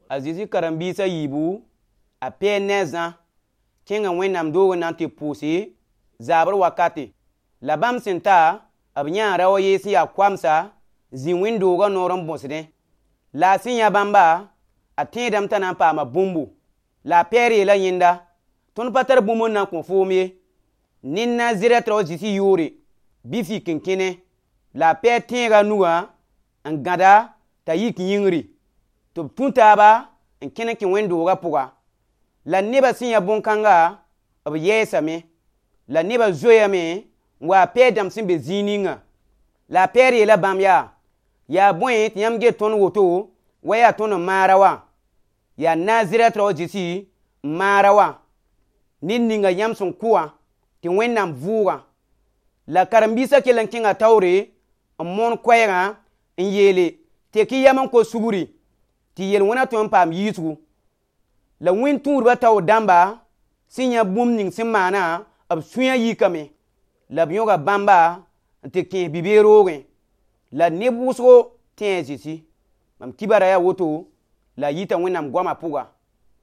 Azizi karambisa yibu a pe nezan kenga wẽnnaam doogo nan tɩ pʋʋse zaabr wakate la bãmb sẽn ta b yãa rao yees n yaa koamsa zĩ wẽn-doogã noor n bõsdẽ la a sẽn yã bãmba a tẽedame t'a na n paama bũmbu la a pɛɛr yeela yẽnda tõnd pa tar bũmb n na n kõ foom ye nin na zɩrɛt rao zĩsi yoore bɩ fik n kẽne la a pɛɛr tẽega nugã n gãda t'a yik yĩngri tɩ b tũ taaba n kẽn kẽ wẽn-doogã pʋga la nebã sẽn yã bõn-kãnga b yɛɛsame la nebã zoeeyame n wa pɛɛ dãmb sẽn be zĩig ninga la a pɛɛr yeela bãmb yaa bõe tɩ yãmb get tõnd woto wa yaa tõnd n maara wã yaa nazirɛt rao zĩsi n maara wã ned ninga yãmb sẽn kʋ-wã tɩ wẽnnaam vʋʋgã la karen-biisã kell n kẽnga taoore n moon koɛɛgã n yeele tek-y yam n ko sugri tɩ yel-wẽnã tõe n paam yiisgu la wẽn-tũudbã taoor dãmba sẽn yã bũmb ning sẽn maana b sũyã yikame la b yõga bãmba n tɩ kẽes bi-beeg roogẽ la neb wʋsgo tẽ a zĩsi mam kibara yaa woto la yita wẽnnaam goamã pʋga